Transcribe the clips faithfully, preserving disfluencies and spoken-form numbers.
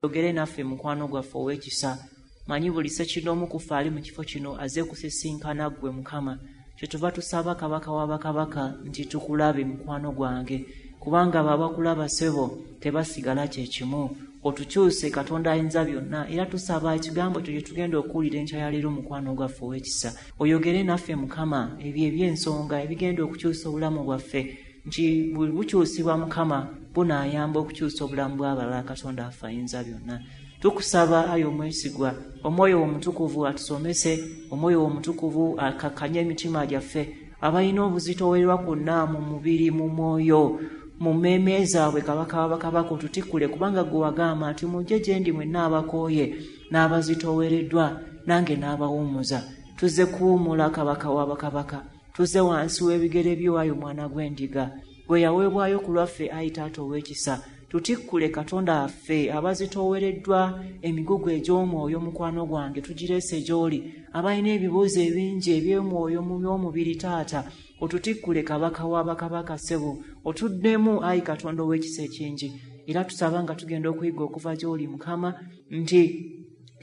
Oyogere naffe, mukwano gwaffe ow'ekisa. Manyi buli ssekinnoomu ku ffe ali mu kifo kino azze kusisinkana ggwe, Mukama. Kyetuva tusaba, Kabaka w'abakabaka, nti tukulabe, mukwano gwange, kubanga abo abakulaba, ssebo, tebasigala kye kimu. Otukyuse, Katonda ayinza byonna. Era tusaba ekigambo kyo kye tugenda okuwulira enkya ya leero, mukwano gwaffe ow'ekisa, oyogere naffe, Mukama, ebyo eby'ensonga ebigenda okukyusa obulamu bwaffe, nti bwe bukyusibwa, Mukama, bunaayamba okukyusa obulamu bw'abalala. Katonda affe ayinza byonna, tukusaba, ayi omwesigwa, Omwoyo Omutukuvu atusomese, Omwoyo Omutukuvu akakkanye emitima gyaffe. Abalina obuzitoowererwa kwonna mu mubiri, mu mwoyo, mu mmeeme zaabwe, Kabaka w'abakabaka, otutikkule, kubanga gwe wagamba nti, "Mujje gye ndi mwenna abakooye n'abazitoowereddwa, nange n'abawummuza." Tuzze kuwummula, Kabaka w'abakabaka. Tuzze wansi w'ebigere byo, ayi Omwana gw'Endiga, gwe yaweebwayo ku lwaffe. Ayi Taata ow'ekisa, tutikkule, Katonda affe. Abazitoowereddwa emigugu egy'omwoyo, mukwano gwange, tugireese gy'oli. Abalina ebibuuzo ebingi eby'omwoyo mu by'omubiri, Taata, otutikkule, Kabaka w'abakabaka, ssebo, otuddemu, ayi Katonda ow'ekisa ekingi. Era tusaba nga tugenda okuyiga okuva gy'oli, Mukama, nti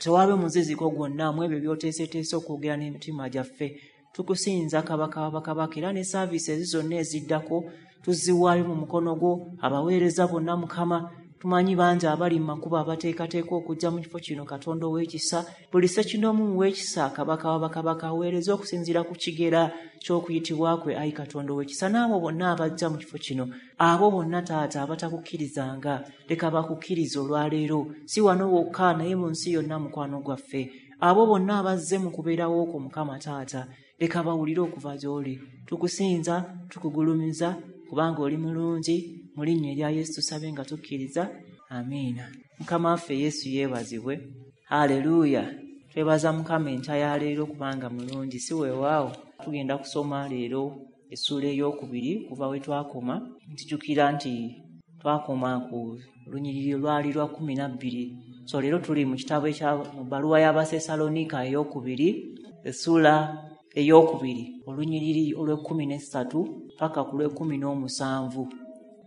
tewaabe muziziko gwonna mu ebyo by'oteeseteese okwogera n'emitima gyaffe. Tukusinza, Kabaka w'abakabaka. Era ne service ezi zonna eziddako tuziwaayo mu mukono gwo, abaweereza bonna, Mukama. Tumanyi bangi abali mu makubo abateekateeka okujja mu kifo kino. Katonda ow'ekisa, buli ssekinnoomu muw'ekisa, Kabaka w'abakabaka, aweereza okusinziira ku kigera ky'okuyitibwa kwe, ayi Katonda ow'ekisa. N'abo bonna abajja mu kifo kino, abo bonna, Taata, abatakukkirizanga, leka bakukkiriza olwaleero, si wano wokka naye mu nsi yonna. Mukwano gwaffe, abo bonna abazze mu kubeerawo okwo, Mukama Taata, leka bawulire okuva gy'oli. Tukusinza, tukugulumiza, kubanga oli mulungi. Mu linnya erya Yesu tusabe nga tukkiriza, amiina. Mukama waffe Yesu yeebazibwe. Haleluya! Twebaza Mukama enkya ya leero kubanga mulungi, si weewaawo? Tugenda kusoma leero essuula ey'okubiri kuva we twakoma. Ntijjukira nti twakoma ku lunyiriri lwali lwa kumi na bbiri. So leero tuli mu kitabo ekya mu bbaluwa y'Abasesalonika ey'okubiri, essuula ey'okubiri, olunyiriri olw'ekkumi n'essatu paka ku lw'ekkumi n'omusanvu.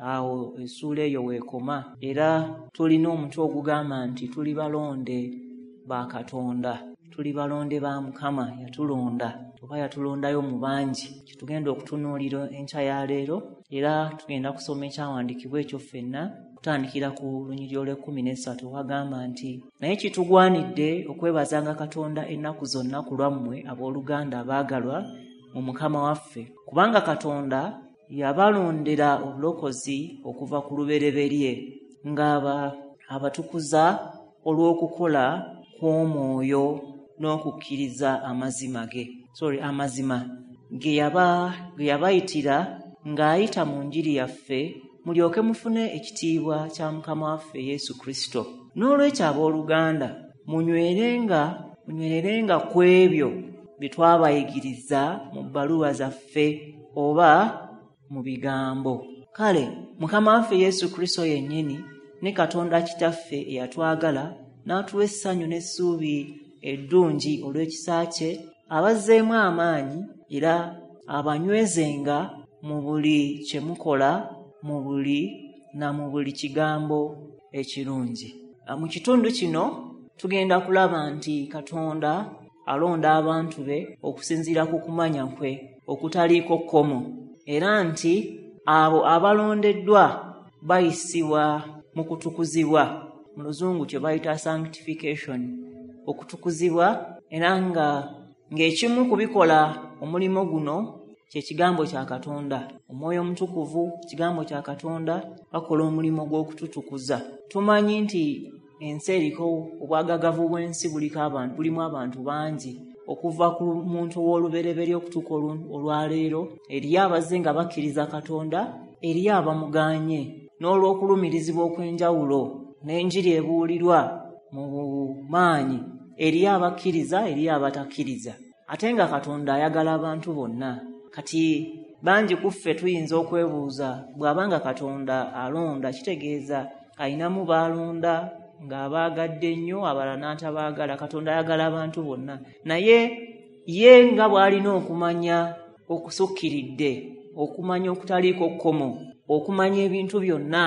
Awo essuula eyo weekoma. Era tulina omutwe ogugamba nti tuli balonde ba Katonda, tuli balonde ba Mukama. Yatulonda oba yatulondayo mu bangi, kyetugenda okutunuulira enkya ya leero. Era tugenda kusoma ekyawandiikibwa ekyo ffenna, kutandikira ku lunyiriri olw'ekkumi n'essatu, wagamba nti, "Naye kitugwanidde okwebazanga Katonda ennaku zonna ku lwammwe, abooluganda abaagalwa mu Mukama waffe, kubanga Katonda yabalondera obulokozi okuva ku lubereberye, ng'aba abatukuza olw'okukola kw'Omwoyo n'okukkiriza amazima ge, sorry, amazima ge yaba ge yabayitira ng'ayita mu njiri yaffe, mulyoke mufune ekitiibwa kya Mukama waffe Yesu Kristo. N'olwekyo, abooluganda, munywerenga munywererenga ku ebyo bye twabayigiriza mu bbaluwa zaffe oba mu bigambo. Kale Mukama waffe Yesu Kristo yennyini ne Katonda Kitaffe eyatwagala n'atuwa essanyu n'essuubi eddungi olw'ekisa kye, abazzeemu amaanyi era abanywezenga mu buli kye mukola, mu buli na mu buli kigambo ekirungi." Mu kitundu kino tugenda kulaba nti Katonda alonda abantu be okusinziira ku kumanya kwe okutaliiko kkomo, era nti abo abalondeddwa bayisibwa mu kutukuzibwa, mu Luzungu kye bayita sanctification, okutukuzibwa, era nga ng'ekimu ku bikola omulimu guno kye kigambo kya Katonda. Omwoyo Omutukuvu, kigambo kya Katonda, bakola omulimu gw'okututukuza. Tumanyi nti ensi eriko obwagagavu bw'ensi, buliko abantu, bulimu abantu bangi. Okuva ku muntu ow'olubereberye okutuuka olwaleero, eriyo abazze nga bakkiriza Katonda, eriyo abamugaanye n'olw'okulumirizibwa okw'enjawulo n'enjiri ebuulirwa mu maanyi. Eriyo abakkiriza, eriyo abatakkiriza, ate nga Katonda ayagala abantu bonna. Kati bangi ku ffe tuyinza okwebuuza, bw'abanga Katonda alonda, kitegeeza ayinamu baalonda ng'abaagadde nnyo, abalala n'atabaagala? Katonda ayagala abantu bonna, naye ye nga bw'alina okumanya okusukkiridde, okumanya okutaliiko kkomo, okumanya ebintu byonna,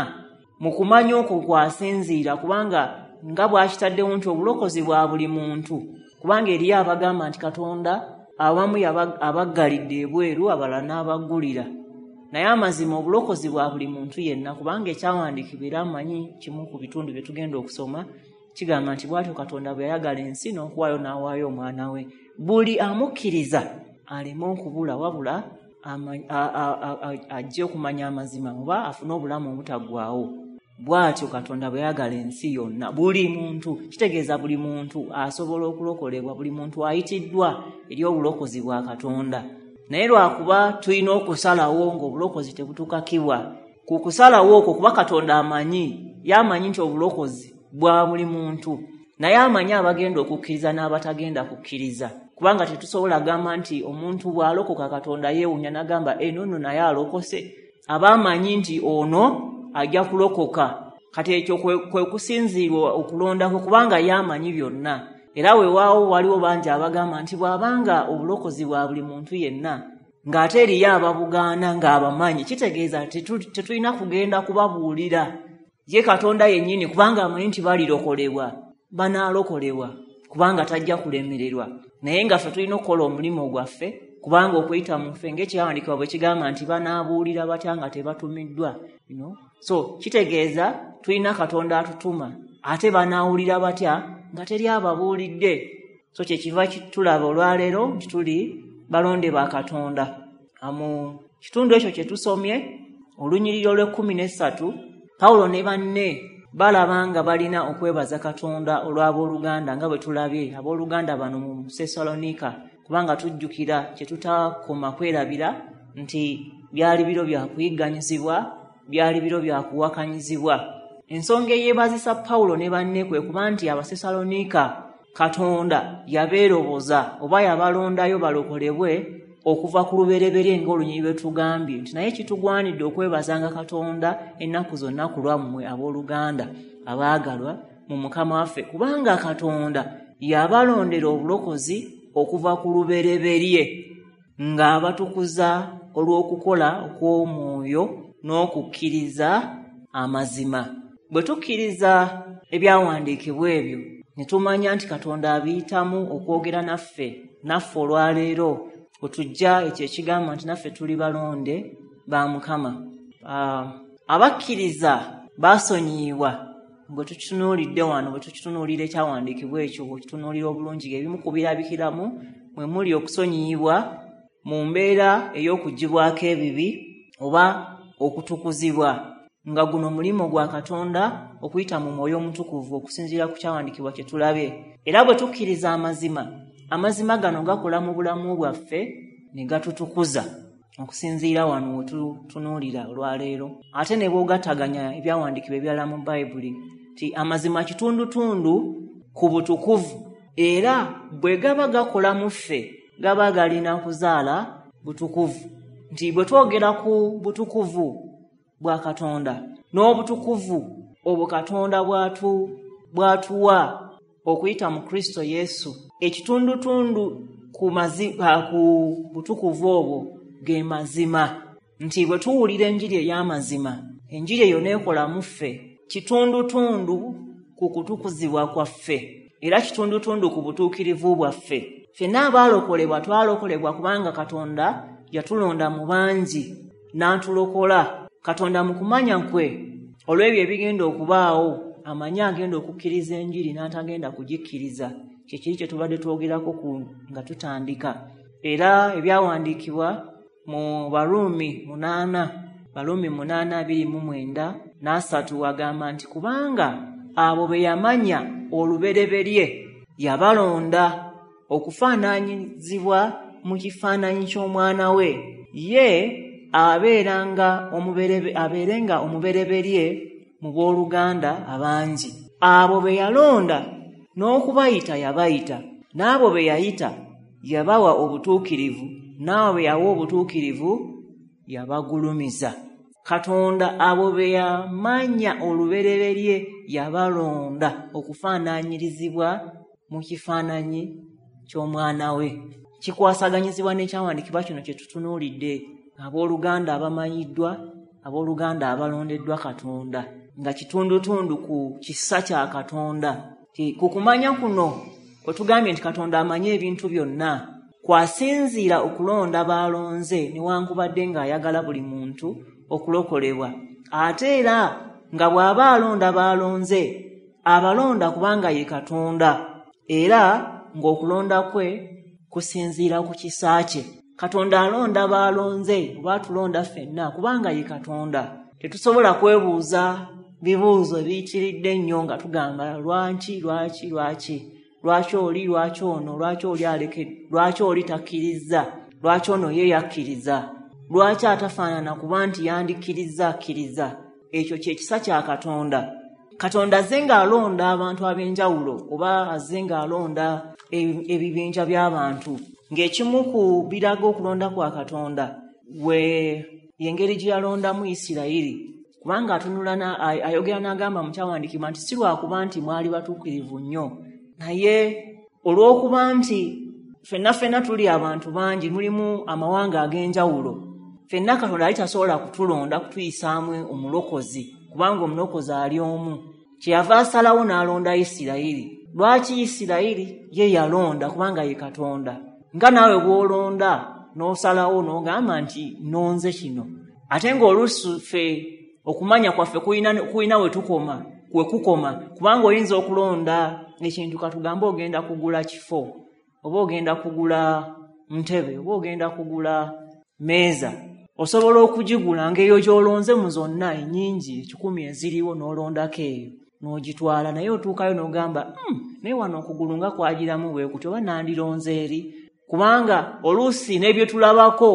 mu kumanya okwo kwasinziira kubanga nga bw'akitaddewo nti obulokozi bwa buli muntu, kubanga eriyo abagamba nti Katonda awamu abaggalidde ebweru, abalala n'abaggulira. Naye amazima obulokozi bwa buli muntu yenna, kubanga ekyawandiikibwa era amanyi kimu ku bitundu bye tugenda okusoma kigamba nti bw'atyo Katonda bwe yayagala ensi n'okuwaayo n'awaayo omwana we, buli amukkiriza aleme okubula, wabula ajje okumanya amazima oba afune obulamu obutaggwaawo. Bw'atyo Katonda bwe yayagala ensi yonna, buli muntu, kitegeeza buli muntu asobola okulokolebwa, buli muntu ayitiddwa eri obulokozi bwa Katonda. Naye lwakuba tulina okusalawo ng'obulokozi tebutukakibwa. Ku kusalawo okwo kuba Katonda amanyi, yamanyi nti obulokozi bwa buli muntu, naye amanyi abagenda okukkiriza n'abatagenda kukkiriza, kubanga tetusobola gamba nti omuntu bw'alokoka Katonda yeewuunya n'agamba eno nno naye alokose. Aba amanyi nti ono ajja kulokoka. Kati ekyo kwe kusinziirwa okulondako, kubanga yamanyi byonna. Era weewaawo waliwo bangi abagamba nti bw'abanga obulokozi bwa buli muntu yenna, ng'ate eriyo ababugaana ng'abamanyi, kitegeeza tetulina kugenda kubabuulira ye Katonda yennyini, kubanga amanyi nti balirokolebwa, banaalokolebwa, kubanga tajja kulemererwa. Naye nga ffe tulina okukola omulimu gwaffe, kubanga okuyita mu ffe ng'ekyawandiikibwa bwe kigamba nti banaabuulira batya nga tebatumiddwa, you know? So kitegeeza tulina Katonda atutuma, ate banaawulira batya nga teri ababuulidde. So kyekiva tulaba olwaleero nti tuli balonde ba Katonda. Mu kitundu ekyo kye tusomye, olunyiriri olw'ekkumi n'essatu, Pawulo ne banne balaba nga balina okwebaza Katonda olw'abooluganda, nga bwe tulabye abooluganda bano mu Sessaloniika, kubanga tujjukira kye tutakoma kwerabira nti byali biro bya kuyigganyizibwa, byali biro bya kuwakanyizibwa. Ensonga eyeebazisa Pawulo ne banne kwe kuba nti Abasessaloniika Katonda yabeeroboza oba yabalondayo balokolebwe okuva ku lubereberye ng'olunyiriri lwe tugambye nti naye kitugwanidde okwebazanga Katonda ennaku zonna ku lwammwe abooluganda abaagalwa mu Mukama waffe, kubanga Katonda yabalondera obulokozi okuva ku lubereberye ng'abatukuza olw'okukola okw'omwoyo n'okukkiriza amazima. Bwe tukkiriza ebyawandiikibwa ebyo ne tumanya nti Katonda abiyitamu okwogera naffe, naffe olwaleero otujja ekyo ekigamba nti naffe tuli balonde ba Mukama. Abakkiriza basonyiyibwa. Bwe tukitunuulidde wano, bwe tukitunuulira ekyawandiikibwa ekyo, bwe kitunuulira obulungi, ebimu ku birabikiramu mwe muli okusonyiyibwa mu mbeera ey'okuggyibwako ebibi oba okutukuzibwa, nga guno mulimu gwa Katonda okuyita mu Mwoyo Omutukuvu okusinziira ku kyawandiikibwa kye tulabye. Era bwe tukkiriza amazima, amazima gano gakola mu bulamu bwaffe ne gatutukuza okusinziira wano we tutunuulira olwaleero. Ate ne bw'ogattaganya ebyawandiikibwa ebirala mu Bayibuli nti amazima kitundutundu ku butukuvu, era bwe gaba gakola mu ffe gaba galina kuzaala butukuvu. Nti bwe twogera ku butukuvu bwa Katonda n'obutukuvu obwo Katonda bw'atu bw'atuwa okuyita mu Kristo Yesu, ekitundutundu ku mazima, ku butukuvu obwo ge mazima. Nti bwe tuwulira enjiri ey'amazima, enjiri eyo n'ekola mu ffe, kitundutundu ku kutukuzibwa kwaffe, era kitundutundu ku butuukirivu bwaffe. Ffenna abaalokolebwa twalokolebwa kubanga Katonda yatulonda mu bangi n'atulokola. Katonda mu kumanya kwe olw'ebyo ebigenda okubaawo amanyi agenda okukkiriza enjiri n'atagenda kugikkiriza. Kye kiri kye tubadde twogerako ku nga tutandika. Era ebyawandiikibwa mu Baruumi munaana, Baruumi munaana abiri mu mwenda n'asatu agamba nti kubanga abo be yamanya olubereberye yabalonda okufaananyizibwa mu kifaananyi ky'omwana we, ye abeeranga omuberebe abeerenga omubereberye mu booluganda abangi. Abo be yalonda n'okubayita yabayita, n'abo be yayita yabawa obutuukirivu, n'abo be yawa obutuukirivu yabagulumiza. Katonda abo be yamanya olubereberye yabalonda okufaananyirizibwa mu kifaananyi ky'omwana we. Kikwasaganyizibwa n'ekyawandiikibwa kino kye tutunuulidde, abooluganda abamanyiddwa, abooluganda abalondeddwa Katonda. nga kitundutundu ku kisa kya Katonda. Ku kumanya kuno kwe tugambye nti Katonda amanyi ebintu byonna, kwasinziira okulonda b'alonze newankubadde ng'ayagala buli muntu okulokolebwa. Ate era nga bw'aba alonda b'alonze, abalonda kubanga ye Katonda, era ng'okulonda kwe kusinziira ku kisa kye. Katonda alonda b'alonze oba atulonda ffenna kubanga ye Katonda. Tetusobola kwebuuza bibuuzo ebiyitiridde ennyo nga tugamba lwaki, lwaki, lwaki, lwaki oli, lwaki ono, lwaki oli aleke, lwaki oli takkiriza, lwaki ono ye yakkiriza, lwaki atafaanana kuba nti yandikkiriza akkiriza. Ekyo kye kisa kya Katonda. Katonda azze ng'alonda abantu ab'enjawulo oba azze ng'alonda ebibinja by'abantu, ng'ekimu ku biraga okulonda kwa Katonda we y'engeri gye yalondamu Isirayiri, kubanga atunula ayogera n'agamba mu kyawandiikibwa nti si lwakuba nti mwali batuukirivu nnyo, naye olw'okuba nti ffenna ffenna tuli abantu bangi, mulimu amawanga ag'enjawulo, ffenna Katonda ali tasobola kutulonda kutuyisaamu omulokozi, kubanga omulokozi ali omu. Kyeyava asalawo n'alonda Isirayiri. Lwaki Isirayiri ye yalonda? Kubanga ye Katonda. Nga naawe bw'olonda n'osalawo n'ogamba nti nonze kino, ate ng'oluusi ffe okumanya kwaffe kulina kulina we tukoma we kukoma, kubanga oyinza okulonda ekintu, katugambe ogenda kugula kifo oba ogenda kugula ntebe oba ogenda kugula meeza, osobola okugigula ng'eyo gy'olonze mu zonna ennyingi ekikumi eziriwo n'olondako eyo n'ogitwala, naye otuukayo n'ogamba mm, naye wano okugulu nga kwagiramu bwe kutyo, oba nandironze eri, kubanga oluusi n'ebyo tulabako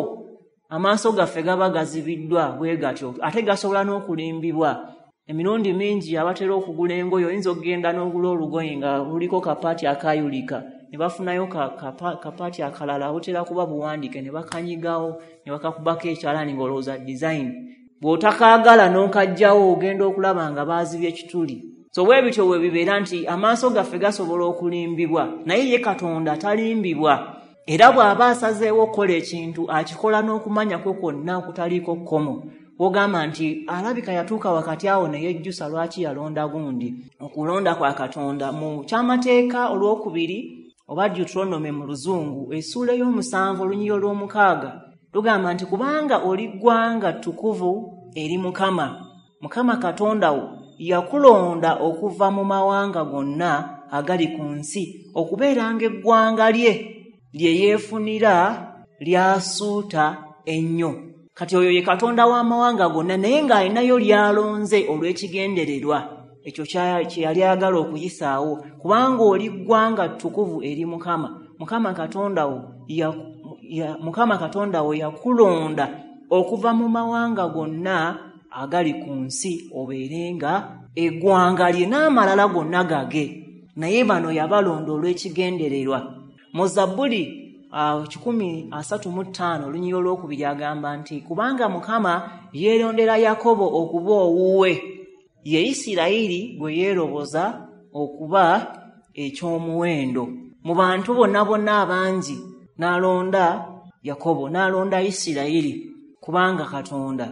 amaaso gaffe gaba gazibiddwa bwe gatyo, ate gasobola n'okulimbibwa. Emirundi mingi abatera okugula engoye, oyinza okugenda n'ogula olugoye nga luliko kapaati akayulika, ne bafunayo kapaati akalala butera kuba buwandiike, ne bakanyigawo ne bakakubako ekyalaani ng'olowooza design. Bw'otakaagala n'okajjawo ogenda okulaba nga baazibye ekituli. So bwe bityo bwe bibeera nti amaaso gaffe gasobola okulimbibwa, naye ye Katonda talimbibwa. Era bw'aba asazeewo okukola ekintu akikola n'okumanya kwe kwonna okutaliiko kkomo. Wogamba nti alabika yatuuka wakati awo ne yejjusa lwaki yalonda gundi. Okulonda kwa Katonda mu kyamateeka olwokubiri oba Deuteronomy mu Luzungu, essuula ey'omusanvu olunyiriri olw'omukaaga lugamba nti kubanga oli ggwanga ttukuvu eri Mukama, Mukama Katonda wo yakulonda okuva mu mawanga gonna agali ku nsi okubeeranga eggwanga lye lye yeefunira lyasuuta ennyo. Kati oyo ye Katonda w'amawanga gonna, naye ng'alinayo ly'alonze olw'ekigendererwa ekyo kye yali ayagala okuyisaawo, kubanga oli ggwanga ttukuvu eri Mukama, Mukama Katonda wo ya, ya, Mukama Katonda wo yakulonda okuva mu mawanga gonna agali ku nsi obeerenga eggwanga lye n'amalala gonna gage, naye bano yabalonda olw'ekigendererwa. Mu Zabbuli kikumi asatu mu ttaano olunyiriri olwokubiri agamba nti kubanga Mukama yeerondera Yakobo okuba owuwe, ye Isirayiri gwe yeeroboza okuba eky'omuwendo. Mu bantu bonna bonna abangi n'alonda Yakobo, n'alonda Isirayiri, kubanga Katonda.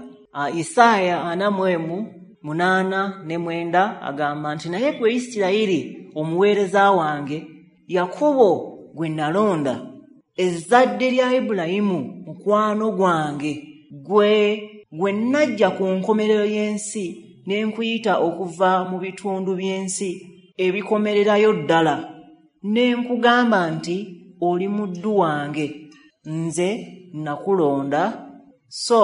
Isaaya ana mu emu munaana ne mwenda agamba nti naye gwe Isirayiri omuweereza wange, Yakobo gwe nalonda, ezzadde lya Ibulayimu mukwano gwange, gwe gwe najja ku nkomerero y'ensi ne nkuyita okuva mu bitundu by'ensi ebikomererayo ddala, ne nkugamba nti oli muddu wange, nze nakulonda so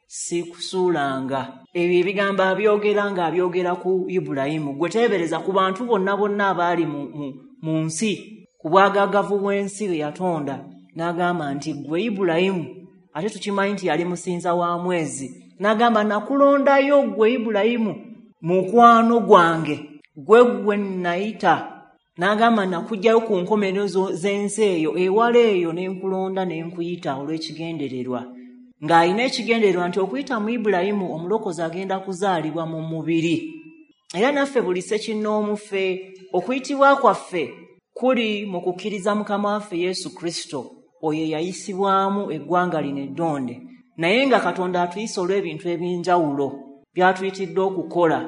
sikusuulanga. Ebyo ebigambo abyogera ng'abyogera ku Ibulayimu. Gwe teebereza ku bantu bonna bonna abaali mu, mu, mu nsi, ku bwagaagavu bw'ensi bwe yatonda, n'agamba nti ggwe Ibulayimu, ate tukimanyi nti yali musinza wa mwezi, n'agamba nakulondayo ggwe Ibulayimu mukwano gwange, gwe gwe nayita, n'agamba nakuggyayo ku nkomerero z'ensi eyo ewala eyo ne nkulonda ne nkuyita olw'ekigendererwa. Ng'alina ekigendererwa nti okuyita mu Ibulayimu omulokozi agenda kuzaalibwa mu mubiri. Era naffe buli ssekinnoomu ffe okuyitibwa kwaffe kuli mu kukkiriza Mukama waffe Yesu Kristo, oyo eyayisibwamu eggwanga lino eddonde, naye nga Katonda atuyisa olw'ebintu ebyenjawulo by'atuyitidde okukola.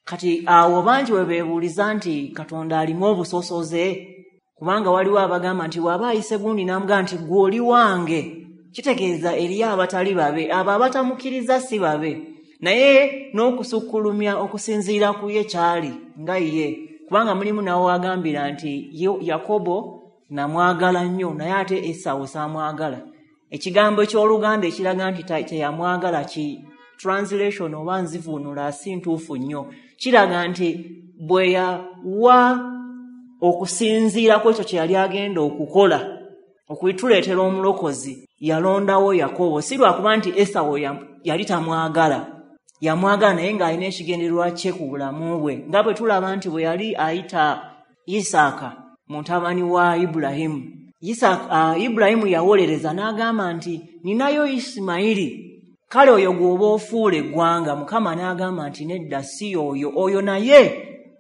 Kati awo bangi we beebuuliza nti Katonda alimu obusosoze, kubanga waliwo abagamba nti bw'aba ayise gundi n'amugamba nti ggwe oli wange, kitegeeza eriyo abatali babe, abo abatamukkiriza si babe. Naye n'okusukkulumya okusinziira ku ye kyali nga ye, kubanga mulimu nawe agambira nti Yakobo namwagala nnyo naye ate Esawu saamwagala. Ekigambo eky'Oluganda ekiraga nti teyamwagala ki translation oba nzivuunula si ntuufu nnyo, kiraga nti bwe yawa okusinziira ku ekyo kye yali agenda okukola okutuleetera omulokozi, yalondawo Yakobo. Si lwakuba nti Esawu yali tamwagala, yamwagala naye ng'alina ekigendererwa kye ku bulamu bwe, nga bwe tulaba nti bwe yali ayita Isaaka mutabani wa Ibulayimu, Isaaka uh, Ibulayimu yawolereza n'agamba nti ninayo Isimayiri, kale oyo gw'oba ofuula eggwanga. Mukama n'agamba nti nedda, si oyo, oyo naye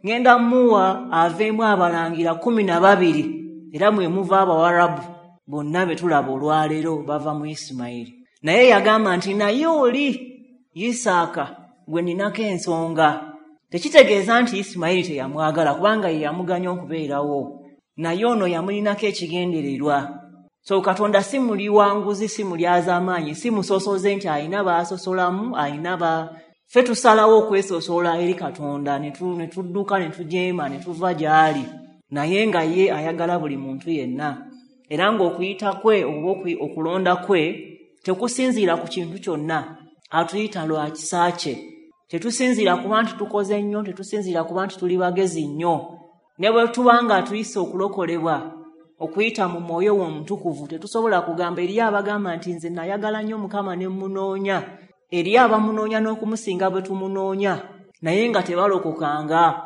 ngenda muwa aveemu abalangira kumi na babiri, era mwe muva Abawarabu bonna be tulaba olwaleero bava mu Isimayiri. Naye yagamba nti naye oli Isaaka gwe ninako ensonga. Tekitegeeza nti Isimayiri teyamwagala, kubanga ye yamuganya okubeerawo, naye ono yamulinako ekigendererwa. So Katonda si muli wanguzi, si mulyazaamaanyi, si musosoze nti alina baasosolamu, alina ba ffe tusalawo okwesosola eri Katonda ne tudduka ne tujeema ne tuva gy'ali, naye nga ye ayagala buli muntu yenna. Era ng'okuyita kwe oba okulonda kwe tekusinziira ku kintu kyonna, atuyita lwa kisa kye. Tetusinziira kuba nti tukoze nnyo, tetusinziira kuba nti tuli bagezi nnyo. Ne bwe tuba nga tuyise okulokolebwa okuyita mu mwoyo w'omutukuvu, tetusobola kugamba. Eriyo abagamba nti nze nayagala nnyo Mukama ne mmunoonya, eriyo abamunoonya n'okumusinga bwe tumunoonya, naye nga tebalokokanga,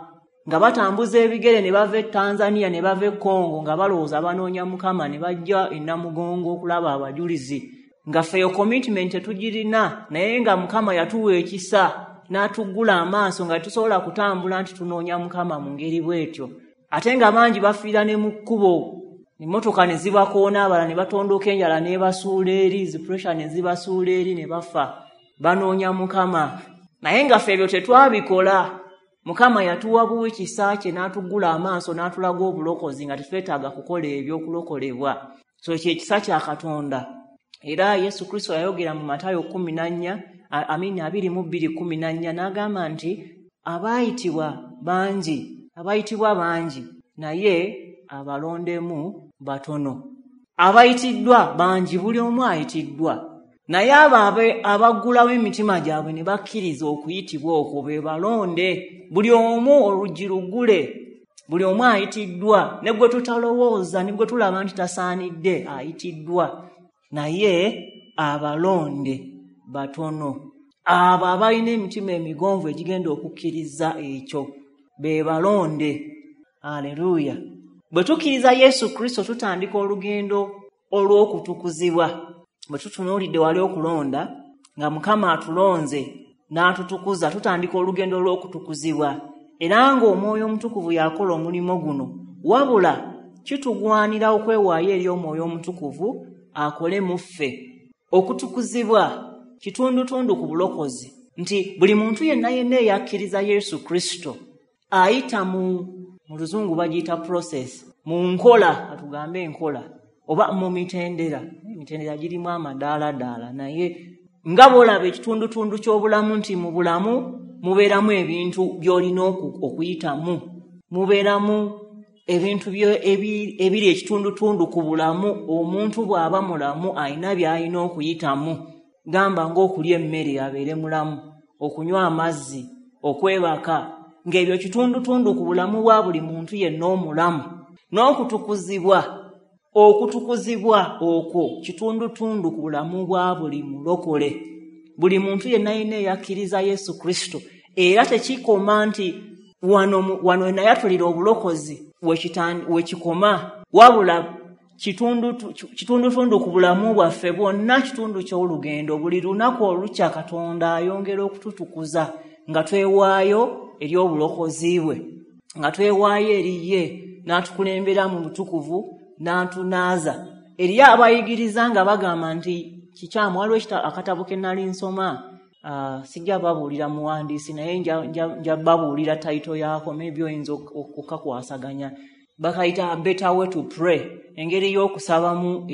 nga batambuza ebigere ne bava e Tanzania ne bava e Congo nga balowooza banoonya Mukama, ne bajja e Namugongo okulaba abajulizi, nga ffe eyo commitment tetugirina, naye nga Mukama yatuwa ekisa n'atuggula amaaso nga tetusobola kutambula nti tunoonya Mukama mu ngeri bw'etyo. Ate nga bangi bafiira ne mu kkubo, emmotoka ne zibakoona, abalala ne batondoka enjala n'ebasuula eri, zi pressure ne zibasuula eri ne bafa, banoonya Mukama. Naye nga ffe ebyo tetwabikola. Mukama yatuwa buwi kisa kye n'atuggula amaaso n'atulaga obulokozi nga tetwetaaga kukola ebyokulokolebwa. So ekyo ekisa kya Katonda. Era Yesu Kristo yayogera mu Matayo kumi na nnya, amini abiri mu bbiri kumi na nnya, n'agamba nti abaayitibwa bangi, abayitibwa bangi, naye abalondemu batono. Abayitiddwa bangi, buli omu ayitiddwa, naye abo abaggulawo emitima gyabwe ne bakkiriza okuyitibwa okwo be balonde. Buli omu oluggi luggule, buli omu ayitiddwa, ne gwe tutalowooza ne gwe tulaba nti tasaanidde ayitiddwa, naye abalonde batono. Abo abalina emitima emigonvu egigenda okukkiriza ekyo be balonde. Aleluya. Bwe tukkiriza Yesu Kristo tutandika olugendo olw'okutukuzibwa. Bwe tutunuulidde wali okulonda, nga Mukama atulonze n'atutukuza, tutandika olugendo olw'okutukuzibwa. Era ng'Omwoyo Omutukuvu yakola omulimu guno, wabula kitugwanira okwewaayo eri Omwoyo Omutukuvu akole mu ffe. Okutukuzibwa kitundutundu ku bulokozi, nti buli muntu yenna yenna eyakkiriza Yesu Kristo ayita mu mu luzungu bagiyita process, mu nkola, atugambe enkola oba mu mitendera. Emitendera girimu amadaala-daala, naye nga bw'olaba ekitundutundu ky'obulamu nti mu bulamu mubeeramu ebintu by'olina okuyitamu, mubeeramu ebintu ebiri ekitundutundu ku bulamu. Omuntu bw'aba mulamu alina by'alina okuyitamu, gamba ng'okulya emmere abeere mulamu, okunywa amazzi, okwebaka, ng'ebyo kitundutundu ku bulamu bwa buli muntu yenna omulamu. N'okutukuzibwa, okutukuzibwa okwo kitundutundu ku bulamu bwa buli mulokole, buli muntu yenna yenna eyakkiriza Yesu Kristo. Era tekikoma nti wano wano nayatulira obulokozi wekikoma, wabula kitundutundu ku bulamu bwaffe bwonna, kitundu ky'olugendo. Buli lunaku olukya Katonda ayongera okututukuza nga twewaayo eri obulokozi bwe, nga twewaayo eri ye, n'atukulembera mu butukuvu, n'atunaaza. Eriyo abayigiriza nga bagamba nti kikyamu. Waliwo akatabo ke nali nsoma Uh, sijja babuulira muwandiisi, naye nja, nja, nja babuulira title yaako, maybe oyinza okukakwasaganya. Bakayita Better Way to Pray, engeri y'okusabamu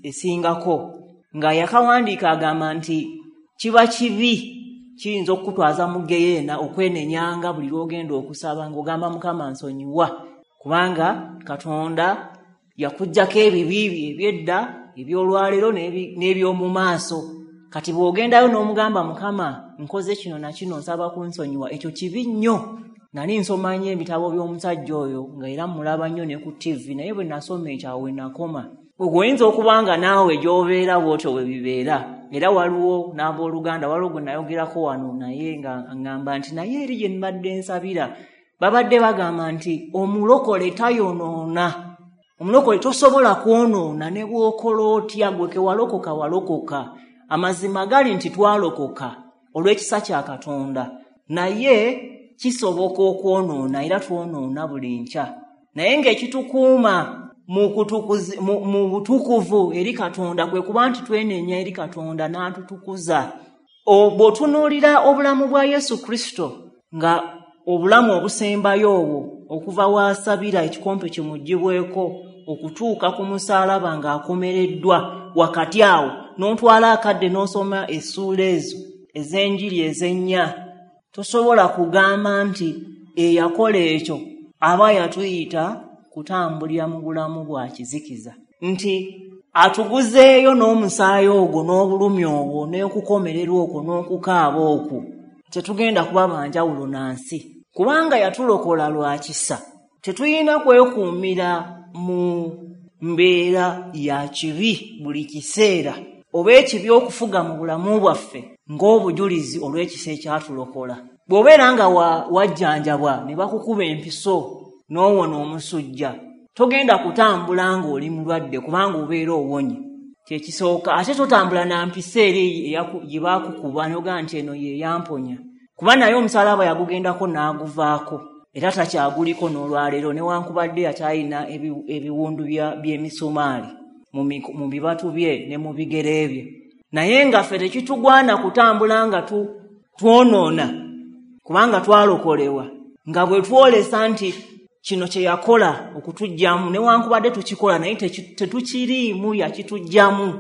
esingako. Nga yakawandiika agamba nti kiba kibi, kiyinza okukutwaza mu geyeena okwenenyanga buli lw'ogenda okusaba ng'ogamba Mukama nsonyiwa, kubanga Katonda yakuggyako ebibi bye eby'edda, eby'olwaleero n'eby'omu maaso. Kati bw'ogendayo n'omugamba Mukama nkoze kino na kino, nsaba kunsonyiwa, ekyo kibi nnyo. Nali nsoma nnyo ebitabo by'omusajja oyo nga era mulaba nnyo ne ku T V, naye bwe nasoma ekyo awo we nakoma. Ogwo oyinza okuba nga naawe gy'obeera bw'otyo bwe bibeera. Era waliwo n'abooluganda, waliwo gwe nayogerako wano naye nga ŋŋamba nti naye eri gye mbadde nsabira babadde bagamba nti omulokole tayonoona, omulokole tosobola kwonoona ne bw'okola otya, gwe ke walokoka walokoka. Amazima gali nti twalokoka olw'ekisa kya Katonda, naye kisoboka okwonoona, era twonoona buli nkya. Naye ng'ekitukuuma mu kutukuzi, mu, mu butukuvu eri Katonda kwe kuba nti twenenya eri Katonda n'atutukuza. Bw'otunuulira obulamu bwa Yesu Kristo nga obulamu obusembayo obwo, okuva w'asabira ekikompe kimuggyibweko okutuuka ku musaalaba ng'akomereddwa wakati awo, n'otwala akadde n'osoma essuula ezo ez'enjiri ez'ennya, tosobola kugamba nti eyakola ekyo aba yatuyita kutambulira mu bulamu bwa kizikiza, nti atuguzeeyo n'omusaayi ogwo n'obulumi obwo n'okukomererwa okwo n'okukaaba okwo, tetugenda kuba banjawulo na nsi, kubanga yatulokola lwa kisa. Tetulina kwekuumira mu mbeera ya kibi buli kiseera, oba ekibi okufuga mu bulamu bwaffe ng'obujulizi olw'ekisa ekyatulokola. Bw'obeera nga wajjanjabwa ne bakukuba empiso n'owona omusujja, togenda kutambula ng'oli mulwadde kubanga obeera owonye. Kyekisooka. Ate totambula na mpiso eri gye baakukuba n'ogamba nti eno ye yamponya, kuba naye omusaalaba yagugendako n'aguvaako, era takyaguliko n'olwaleero, newankubadde akyalina ebiwundu by'emisumaali mu bibatu bye ne mu bigere bye. Naye nga ffe tekitugwana kutambula nga twonoona, kubanga twalokolewa, nga bwe twolesa nti kino kye yakola okutuggyamu, newankubadde tukikola naye tetukiriimu, yakituggyamu.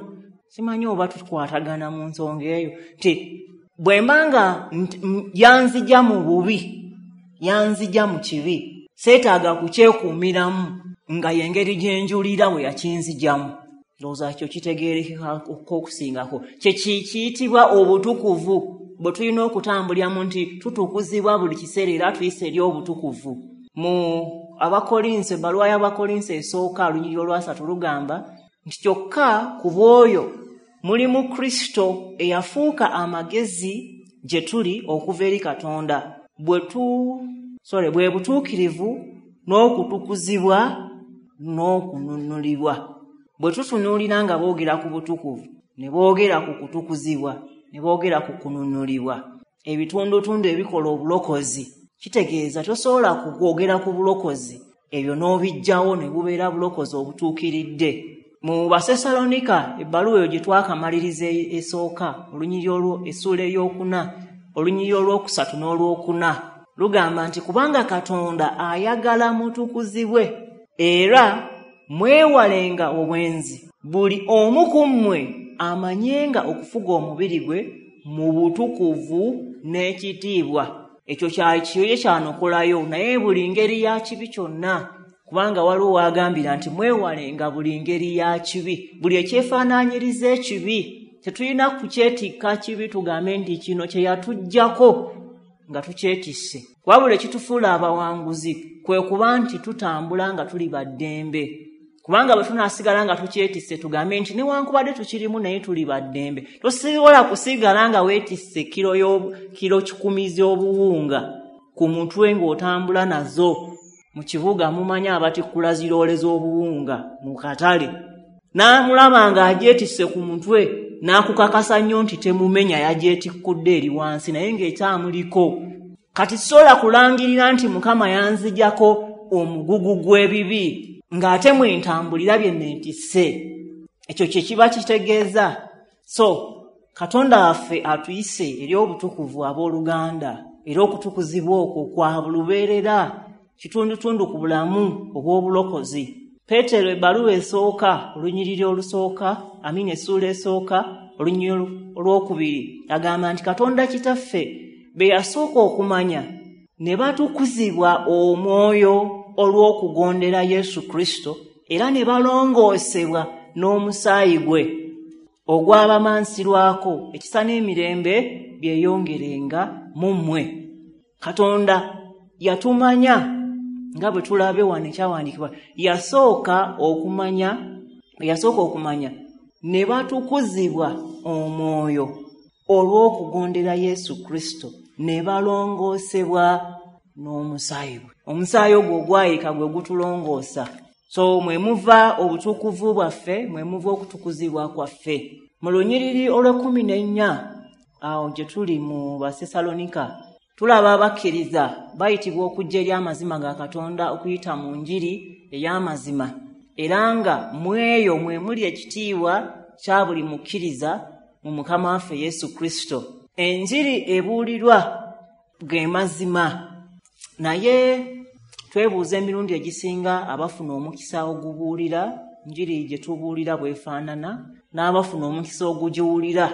Simanyi oba tukwatagana mu nsonga eyo, nti bwe mba nga yanzija mu bubi, yanzija mu kibi, seetaaga kukyekuumiramu nga y'engeri gye njulira bwe yakinzigyamu. Ndowooza kyo kitegeerekeka okusingako. Kye kiyitibwa obutukuvu bwe tulina okutambuliramu, nti tutukuzibwa buli kiseera era tuyise eri obutukuvu. Mu Abakolinso, ebbaluwa y'Abakolinso esooka olunyiriri olwasatu lugamba nti kyokka ku bw'oyo mulimu Kristo eyafuuka amagezi gye tuli okuva eri Katonda, bwe tu sorry bwe butuukirivu n'okutukuzibwa n'okununulibwa. Bwe tutunuulira nga boogera ku butukuvu, ne boogera ku kutukuzibwa, ne boogera ku kununulibwa, ebitundutundu ebikola obulokozi, kitegeeza tosobola kwogera ku bulokozi ebyo n'obiggyawo ne bubeera bulokozi obutuukiridde. Mu Basesalonika ebbaluwa eyo gye twakamaliriza esooka, olunyiriri olwo essuula ey'okuna, olunyiriri olwokusatu n'olwokuna, lugamba nti kubanga Katonda ayagala mutukuzibwe era mwewalenga obwenzi, buli omu ku mmwe amanyenga okufuga omubiri gwe mu butukuvu n'ekitiibwa. Ekyo kyakiyo kyanokolayo, naye buli ngeri ya kibi kyonna, kubanga waliwo wagambira nti mwewalenga buli ngeri ya kibi, buli ekyefaanaanyiriza ekibi. Tetulina kukyetikka kibi tugambe nti kino kye yatuggyako nga tukyetisse. Wabula ekitufuula abawanguzi kwe kuba nti tutambula nga tuli baddembe, kubanga bwe tunaasigala nga tukyetisse tugambe nti newankubadde tukirimu naye tuli baddembe. Tosobola kusigala nga weetisse kiro kiro kikumi z'obuwunga ku mutwe ng'otambula nazo mu kibuga. Mumanyi abatikkula ziroole z'obuwunga mu katale, n'amulaba ng'agyetisse ku mutwe n'akukakasa nnyo nti temumenya, yagyetikkudde eri wansi naye ng'ekyamuliko. Kati sobola kulangirira nti Mukama yanzigyako omugugu gw'ebibi ng'ate mwe ntambulira bye neetisse. Ekyo kye kiba kitegeeza. So Katonda waffe atuyise eri obutukuvu abooluganda, era okutukuzibwa okwo kwa lubeerera, kitundutundu ku bulamu obw'obulokozi. Peetero ebbaluwa esooka, olunyiriri olusooka, amina essuula esooka, olunyiriri olwokubiri, agamba nti Katonda Kitaffe be yasooka okumanya ne batukuzibwa omwoyo olw'okugondera Yesu Kristo, era ne balongoosebwa n'omusaayi gwe ogwabamansirwako, ekisa n'emirembe byeyongerenga mu mmwe. Katonda yatumanya nga bwe tulabe wano ekyawandiikibwa, yasooka okumanya, yasooka okumanya ne batukuzibwa omwoyo olw'okugondera Yesu Kristo, ne balongoosebwa n'omusaayi gwe. Omusaayi ogwo ogwayika gwe gutulongoosa. So mwe muva obutukuvu bwaffe, mwe muva okutukuzibwa kwaffe. Mu lunyiriri olw'ekkumi n'ennya awo gye tuli mu Basesalonika, tulaba abakkiriza bayitibwa okujja eri amazima ga Katonda okuyita mu njiri ey'amazima, era nga mu eyo mwe muli ekitiibwa kya buli mukkiriza mu Mukama waffe Yesu Kristo. Enjiri ebuulirwa ge mazima, naye twebuuza emirundi egisinga abafuna omukisa ogubuulira njiri gye tubuulira bw'efaanana, n'abafuna omukisa ogugiwulira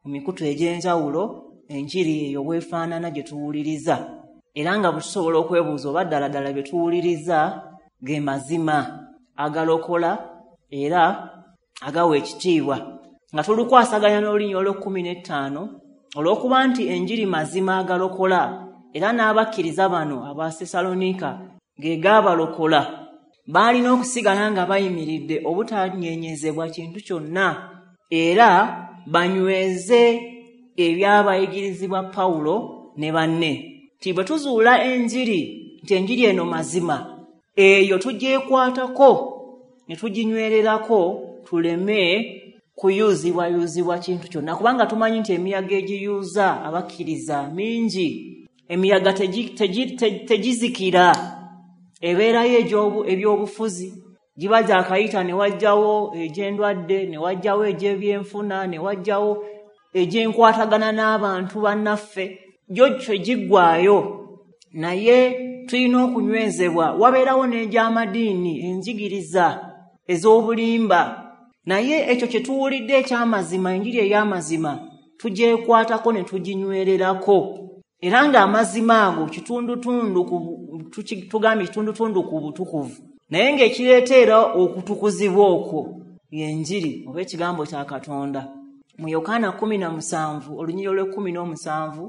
mu mikutu egy'enjawulo enjiri eyo bw'efaanana gye tuwuliriza, era nga bwe tusobola okwebuuza oba ddala ddala bye tuwuliriza ge mazima agalokola era agawa ekitiibwa. Nga tulukwasaganya n'olunyiriri olw'ekkumi n'ettaano, olw'okuba nti enjiri mazima agalokola, era n'abakkiriza bano Abasesalonika ge gaabalokola, baalina okusigala nga bayimiridde obutanyenyezebwa kintu kyonna, era banyweze ebyabayigirizibwa Pawulo ne banne. Nti bwe tuzuula enjiri, nti enjiri eno mazima, eyo tugyekwatako ne tuginywererako, tuleme kuyuuzibwayuuzibwa kintu kyonna, kubanga tumanyi nti emiyaga egiyuuza abakkiriza mingi. Emiyaga tegizikira, ebeerayo ebyobufuzi, giba gyakayita ne wajjawo egy'endwadde, ne wajjawo egy'ebyenfuna, ne wajjawo egy'enkwatagana n'abantu bannaffe, gyo tegiggwaayo. Naye tulina okunywezebwa. Wabeerawo n'egy'amadiini, enjigiriza ez'obulimba, naye ekyo kye tuwulidde eky'amazima, enjiri ey'amazima, tugyekwatako ne tuginywererako. Era ng'amazima ago kitundutundu tugambye kitundutundu ku butukuvu, naye ng'ekireeta okutukuzibwa okwo y'enjiri oba ekigambo kya Katonda. Mu Yokaana kkumi na musanvu olunyiriri olw'ekkumi n'omusanvu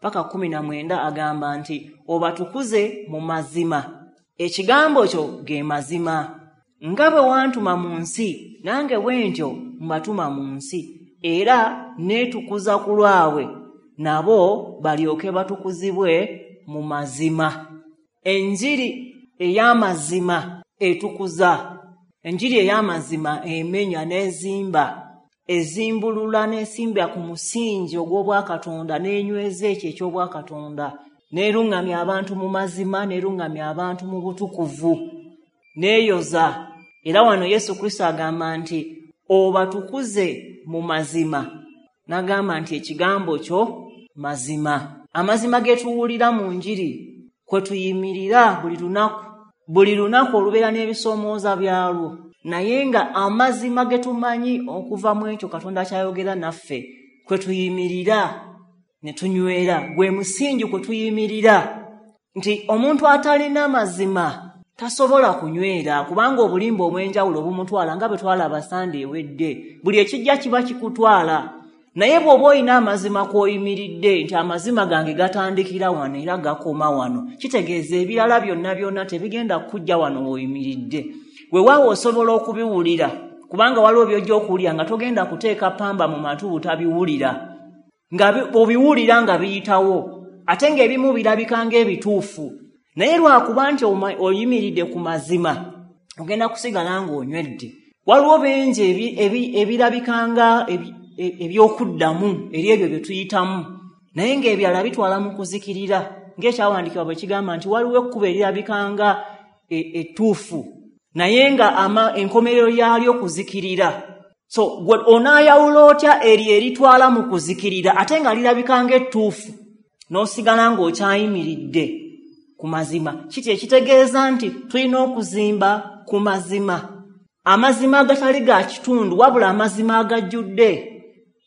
paka kkumi na mwenda agamba nti obatukuze mu mazima, ekigambo kyo ge mazima. Nga bwe wantuma mu nsi, nange bwe ntyo mbatuma mu nsi, era neetukuza ku lwabwe, nabo balyoke batukuzibwe mu mazima. Enjiri ey'amazima etukuza. Enjiri ey'amazima emenya n'ezimba, ezimbulula n'esimbya ku musingi ogw'obwakatonda, n'enyweza ekyo eky'obwakatonda, n'eruŋŋamya abantu mu mazima, n'eruŋŋamya abantu mu butukuvu, n'eyoza. Era wano Yesu Kristo agamba nti obatukuze mu mazima, n'agamba nti ekigambo kyo mazima. Amazima ge tuwulira mu njiri kwe tuyimirira buli lunaku, buli lunaku olubeera n'ebisoomooza byalwo, naye nga amazima ge tumanyi okuva mu ekyo Katonda kyayogera naffe kwe tuyimirira ne tunywera, gwe musingi kwe tuyimirira. Nti omuntu atalina mazima tasobola kunywera, kubanga obulimba obw'enjawulo bumutwala, nga bwe twalaba Sande ewedde. Buli ekijja kiba kikutwala, naye bw'oba olina amazima kw'oyimiridde, nti amazima gange gatandikira wano era gakoma wano, kitegeeza ebirala byonna byonna tebigenda kujja wano w'oyimiridde. Weewaawo osobola okubiwulira, kubanga waliwo by'ojja okuwulira nga togenda kuteeka pamba mu matu butabiwulira, nga obiwulira nga biyitawo, ate ng'ebimu birabika ng'ebituufu. Naye lwakuba nti oyimiridde ku mazima, ogenda kusigala ng'onywedde. Waliwo bingi ebirabika nga eby'okuddamu eri ebyo bye tuyitamu, naye ng'ebirala bitwala mu kuzikirira, ng'ekyawandiikibwa bwe kigamba nti waliwo ekkubo erirabika nga ettuufu, naye nga enkomerero yaalyo kuzikirira. So gwe onaayawula otya eryo eritwala mu kuzikirira ate nga lirabika ng'ettuufu, n'osigala ng'okyayimiridde ku mazima? Kiti ekitegeeza nti tulina okuzimba ku mazima, amazima agatali ga kitundu, wabula amazima agajjudde,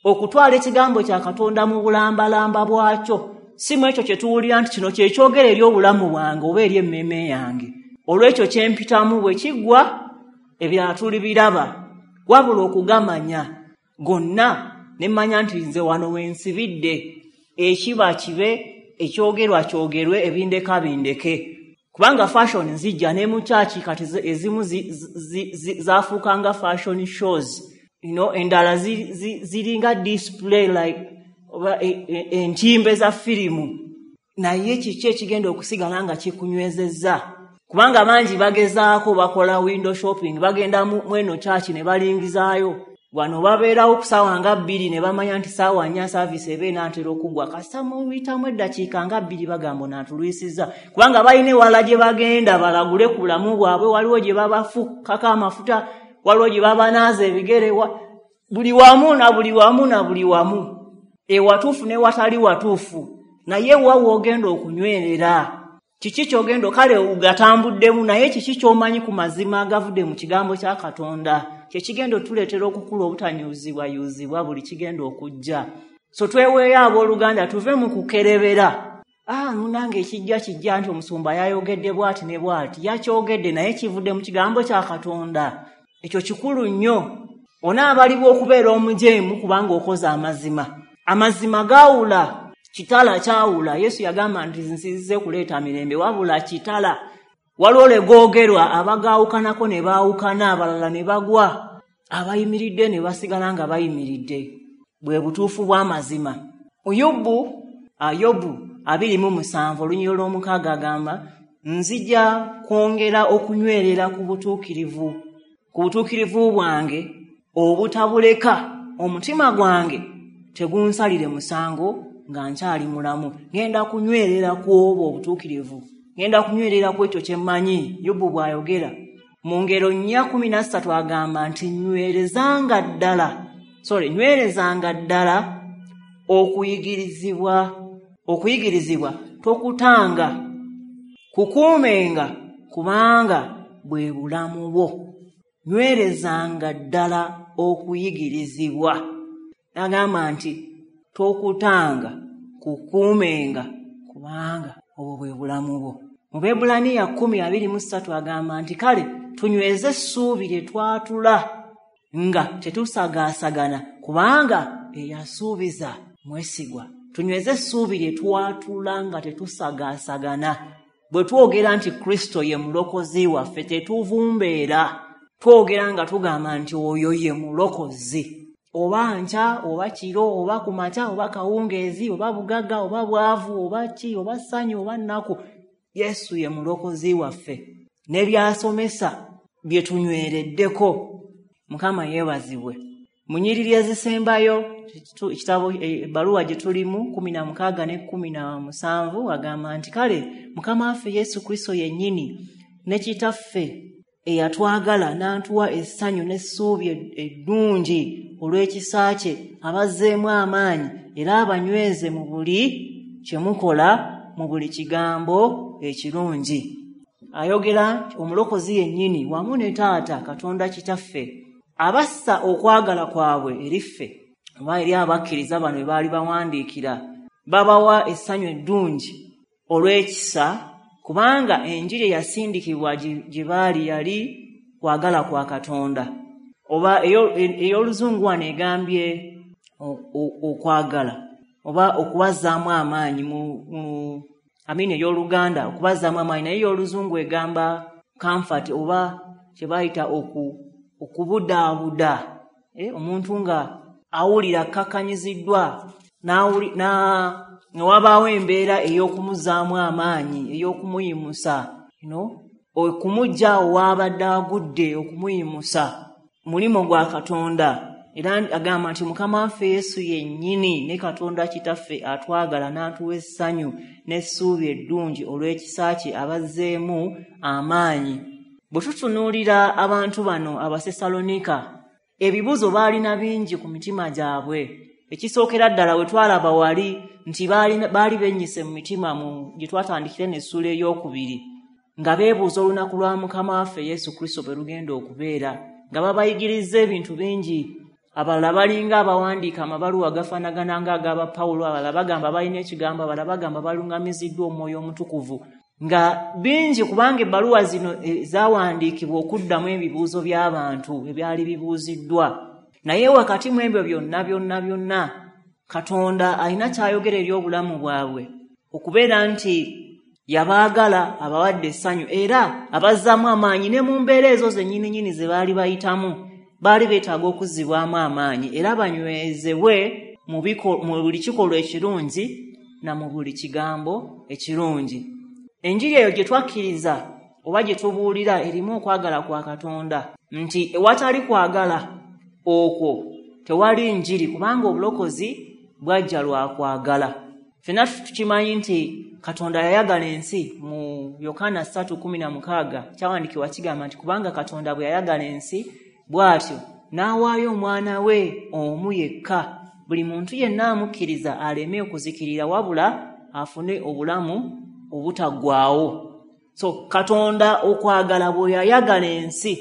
okutwala ekigambo kya Katonda mu bulambalamba bwakyo, si mu ekyo kye tuwulira nti kino kye kyogera eri obulamu bwange oba eri emmeeme yange. Olw'ekyo kye mpitamu bwe kiggwa, ebirala tulibiraba, wabula okugamanya gonna ne mmanya nti nze wano we nsibidde, ekiba kibe, ekyogerwa kyogerwe, ebindeka bindeke. Kubanga fashion nzijja ne mu kyaki kati ezimu zaafuuka nga fashion shows, you know, endala ziringa display like oba entimbe za firimu. Naye kiki ekigenda okusigala nga kikunywezezza? Kubanga bangi bagezaako bakola window shopping, bagenda mu eno kyaki ne balingizaayo wano, babeerawo ku ssaawa nga bbiri ne bamanya nti ssaawa nnya service eba enaatera okuggwa, kasita muyitamu eddakiika nga bbiri bagamba onaatulwisizza, kubanga balina ewala gye bagenda balagule ku bulamu bwabwe, waliwo gye babafukako amafuta, waliwo gye babanaaza ebigere, buli wamu na buli wamu na buli wamu, ewatuufu n'ewatali watuufu. Naye wa w'ogenda okunywerera? Kiki ky'ogenda kale ugatambuddemu, naye kiki ky'omanyi ku mazima agavudde mu kigambo kya Katonda kyekigenda otuleetera okukula obutanyuuzibwa yuuzibwa buli kigenda okujja? So tweweeyo abooluganda, tuve mu kukerebera. Ah, munange ekijja kijja nti omusumba yayogedde bw'ati ne bw'ati, yakyogedde naye kivudde mu kigambo kya Katonda. Ekyo kikulu nnyo. Onaabalibwa okubeera omujeemu kubanga okoze amazima. Amazima gaawula, kitala kyawula. Yesu yagamba nti nzize kuleeta mirembe, wabula kitala. Waliwo lwe googerwa abagaawukanako ne baawukana, abalala ne bagwa, abayimiridde ne basigala nga bayimiridde. Bwe butuufu bw'amazima. Yobu, Yobu abiri mu musanvu olunyiriri olw'omukaaga agamba, nzija kwongera okunywerera ku butuukirivu, ku butuukirivu bwange obutabuleka, omutima gwange tegunsalire musango nga nkyali mulamu. Ngenda kunywerera ku obwo obutuukirivu, ngenda kunywerera ku ekyo kye mmanyi. Yobu bw'ayogera mu ngero nnya kumi na ssatu agamba nti nywerezanga ddala, sorry, nywerezanga ddala okuyigirizibwa, okuyigirizibwa tokutanga, kukuumenga, kubanga bwe bulamu bwo. Nywerezanga ddala okuyigirizibwa. Agamba nti tokutanga, kukuumenga, kubanga obwo bwe bulamu bwo. Mu Bebbulaniya kkumi abiri mu ssatu agamba nti kale tunyweze essuubi lye twatula nga tetusagaasagana, kubanga eyasuubiza mwesigwa. Tunyweze essuubi lye twatula nga tetusagaasagana. Bwe twogera nti Kristo ye mulokozi waffe, tetuvumbeera, twogera nga tugamba nti oyo ye mulokozi. Oba nkya, oba kiro, oba kumakya, oba kawungeezi, oba bugagga, oba bwavu, oba ki, oba ssanyu, oba nnaku, Yesu ye mulokozi waffe. N'ebyasomesa bye tunywereddeko. Mukama yeebazibwe. Mu nnyiriri ezisembayo, ekitabo ebbaluwa gye tulimu kumi na mukaaga ne kumi na musanvu agamba nti kale Mukama waffe Yesu Kristo yennyini ne Kitaffe eyatwagala n'atuwa essanyu n'essuubi eddungi olw'ekisa kye, abazzeemu amaanyi era abanyweze mu buli kye mukola, mu buli kigambo ekirungi. Ayogera omulokozi yennyini wamu ne Taata Katonda Kitaffe abassa okwagala kwabwe eri ffe, oba eri abakkiriza bano be baali bawandiikira, babawa essanyu eddungi olw'ekisa, kubanga enjiri eyasindikibwa gye baali yali kwagala kwa Katonda. Oba ey'oluzungu wano egambye okwagala oba okubazzaamu amaanyi mu amini ey'oluganda okubazzaamu amaanyi, naye ey'oluzungu egamba comfort oba kye bayita okubudaabuda. Omuntu nga awulira akkakanyiziddwa ne wabaawo embeera ey'okumuzzaamu amaanyi, ey'okumuyimusa, okumuggya awo w'abadde agudde, okumuyimusa. Mulimu gwa Katonda. Era agamba nti Mukama waffe Yesu yennyini ne Katonda Kitaffe atwagala n'atuwa essanyu n'essuubi eddungi olw'ekisa kye, abazzeemu amaanyi. Bwe tutunuulira abantu bano Abasesalonika, Ebibuuzo baalina bingi ku mitima gyabwe. Ekisookera ddala we twalaba wali nti baali bennyise mu mitima mu gye twatandikire n'essuula ey'okubiri, nga beebuuza olunaku lwa Mukama waffe Yesu Kristo bwe lugenda okubeera, nga babayigiriza ebintu bingi. Abalala balinga abawandiika amabaluwa gafaanagana ng'ag'aba Pawulo, abalala bagamba balina ekigambo, abalala bagamba balungamiziddwa Omwoyo Omutukuvu, nga bingi, kubanga ebbaluwa zino zawandiikibwa okuddamu ebibuuzo by'abantu ebyali bibuuziddwa. Naye wakati mu ebyo byonna byonna byonna, Katonda alina ky'ayogera eri obulamu bwabwe, okubeera nti yabaagala, abawadde essanyu era abazzaamu amaanyi. Ne mu mbeera ezo zennyini nnyini ze baali bayitamu, baali beetaaga okuzzibwamu amaanyi era banywezebwe mu buli kikolwa ekirungi na mu buli kigambo ekirungi. Enjiri eyo gye twakkiriza oba gye tubuulira erimu okwagala kwa Katonda, nti ewatali kwagala okwo tewali njiri, kubanga obulokozi bwajja lwa kwagala. Ffenna tukimanyi nti Katonda yayagala ensi. Mu Yokaana ssatu kkumi na mukaaga kyawandiikibwa kigamba nti kubanga Katonda bwe yayagala ensi bw'atyo n'awaayo omwana we omu yekka, buli muntu yenna amukkiriza aleme okuzikirira wabula afune obulamu obutaggwaawo. So Katonda okwagala bwe yayagala ensi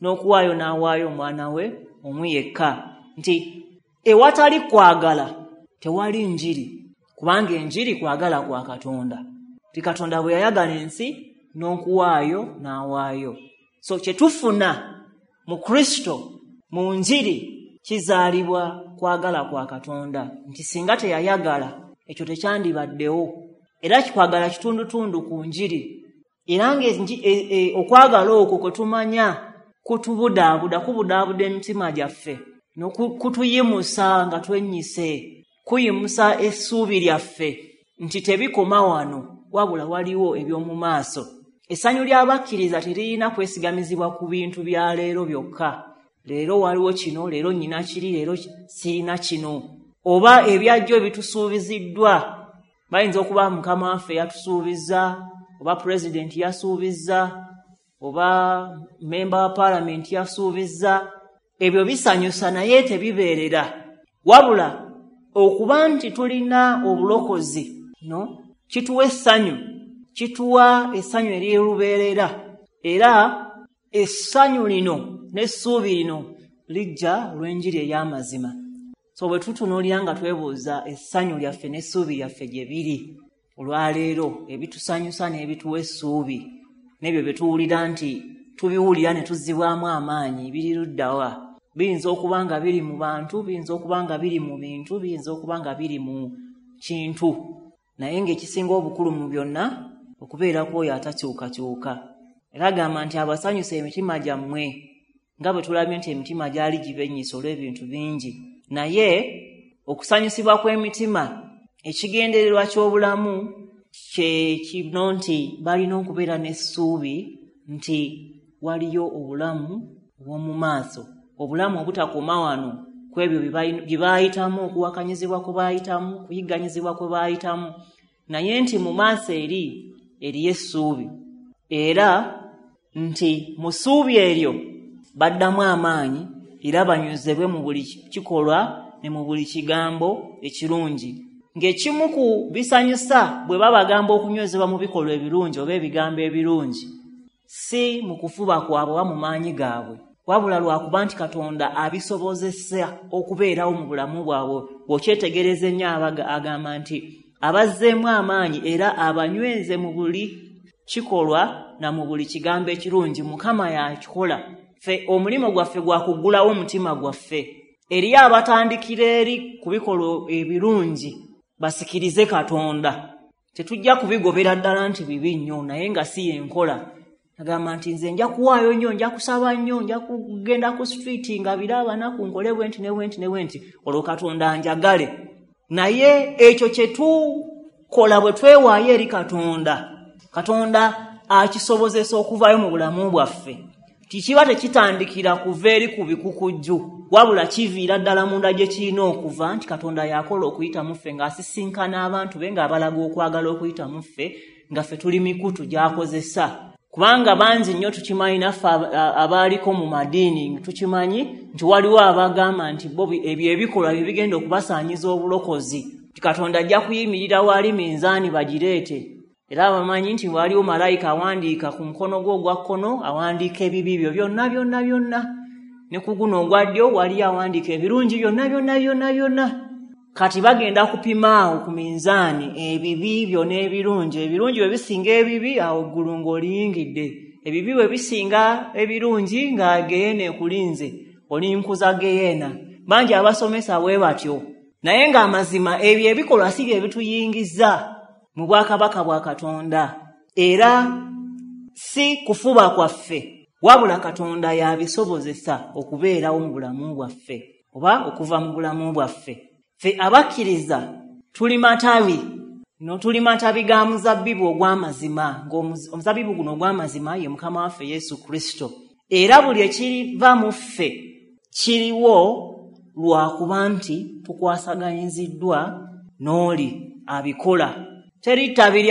n'okuwaayo n'awaayo omwana we omu yekka, nti ewatali kwagala tewali njiri, kubanga enjiri kwagala kwa Katonda. Nti Katonda bwe yayagala ensi n'okuwaayo n'awaayo. So kye tufuna mu Kristo mu njiri kizaalibwa kwagala kwa Katonda, nti singa teyayagala ekyo tekyandibaddewo. Era kikwagala kitundutundu ku njiri, era nga okwagala okwo kwe tumanya kutubudaabuda, kubudaabuda emitima gyaffe, kutuyimusa nga twennyise, kuyimusa essuubi lyaffe nti tebikoma wano, wabula waliwo eby'omu maaso. Essanyu ly'abakkiriza teririna kwesigamizibwa ku bintu bya leero byokka. Leero waliwo kino, leero nnyina kiri, leero sirina kino, oba ebyajjo ebitusuubiziddwa. Bayinza okuba Mukama waffe yatusuubizza, oba pulezidenti yasuubizza, oba memba wa paalamenti yasuubizza. Ebyo bisanyusa naye tebibeerera. Wabula okuba nti tulina obulokozi no kituwa essanyu, kituwa essanyu ery'olubeerera. Era essanyu lino n'essuubi lino lijja olw'enjiri ey'amazima. So bwe tutunuulira nga twebuuza essanyu lyaffe n'essuubi lyaffe gye biri olwaleero, ebitusanyusa n'ebituwa essuubi n'ebyo bye tuwulira nti tubiwulira ne tuzzibwamu amaanyi biri ludda wa? Biyinza okuba nga biri mu bantu, biyinza okuba nga biri mu bintu, biyinza okuba nga biri mu kintu, naye ng'ekisinga obukulu mu byonna okubeera kw'oyo atakyukakyuka. Era agamba nti abasanyusa emitima gyammwe, nga bwe tulabye nti emitima gyali gibennyisa olw'ebintu bingi. Naye okusanyusibwa kw'emitima, ekigendererwa ky'obulamu kye kino nti balina okubeera n'essuubi nti waliyo obulamu obw'omu maaso, obulamu obutakoma wano ku ebyo bye baayitamu, okuwakanyizibwa kwe baayitamu, okuyigganyizibwa kwe baayitamu, naye nti mu maaso eri eriyo essuubi, era nti mu ssuubi eryo baddamu amaanyi era banywezebwe mu buli kikolwa ne mu buli kigambo ekirungi. Ng'ekimu ku bisanyusa bwe babagamba okunywezebwa mu bikolwa ebirungi oba ebigambo ebirungi, si mu kufuba kwabwe oba mu maanyi gaabwe, wabula lwakuba nti Katonda abisobozesa okubeerawo mu bulamu bwabwe. Bw'okyetegereza ennyo agamba nti abazzeemu amaanyi era abanyweze mu buli kikolwa na mu buli kigambo ekirungi. Mukama yakikola. Ffe omulimu gwaffe gwa kuggulawo omutima gwaffe eriyo abatandikira eri ku bikolwa ebirungi basikirize Katonda. Tetujja kubigobera ddala nti bibi nnyo, naye nga si y'enkola. Agamba nti nze nja kuwaayo nnyo, nja kusaba nnyo, nja kugenda ku street nga bira abanaku, nkole bwe nti ne bwe nti ne bwe nti, olwo Katonda anjagale. Naye ekyo kye tukola bwe twewaayo eri Katonda, Katonda akisobozesa okuvaayo mu bulamu bwaffe. Kikiba tekitandikira kuva eri ku bikukujju, wabula kiviira ddala munda gye kirina okuva, nti Katonda yakola okuyita mu ffe ng'asisinkana abantu be, ng'abalaga okwagala okuyita mu ffe, nga ffe tuli mikutu gy'akozesa Kubanga bangi nnyo tukimanyi, naffe abaaliko mu madiini tukimanyi nti waliwo abagamba nti bo ebyo ebikolwa bye bigenda okubasaanyiza obulokozi, nti Katonda ajja kuyimirira wali minzaani bagireete. Era abamanyi nti waliwo malayika awandiika ku mukono gwo ogwa kkono, awandiika ebibi byo byonna byonna byonna, ne ku guno ogwa ddyo waliyo awandiika ebirungi byonna byonna byonna byonna. Kati bagenda kupima awo ku minzaani ebibi byo n'ebirungi. Ebirungi bwe bisinga ebibi, awo eggulu ng'oliyingidde. Ebibi bwe bisinga ebirungi, nga geyeena ekulinze, olinkuza geyeena. Bangi abasomesa bwe batyo, naye ng'amazima ebyo ebikolwa si bye bituyingiza mu bwakabaka bwa Katonda, era si kufuba kwaffe, wabula Katonda y'abisobozesa okubeerawo mu bulamu bwaffe oba okuva mu bulamu bwaffe. Ffe abakkiriza tuli matabi, no tuli matabi ga muzabbibu ogw'amazima, ng'omuzabbibu guno ogw'amazima ye Mukama waffe Yesu Kristo. Era buli ekiriva mu ffe kiriwo lwakuba nti tukwasaganyiziddwa n'oli abikola. Teri ttabi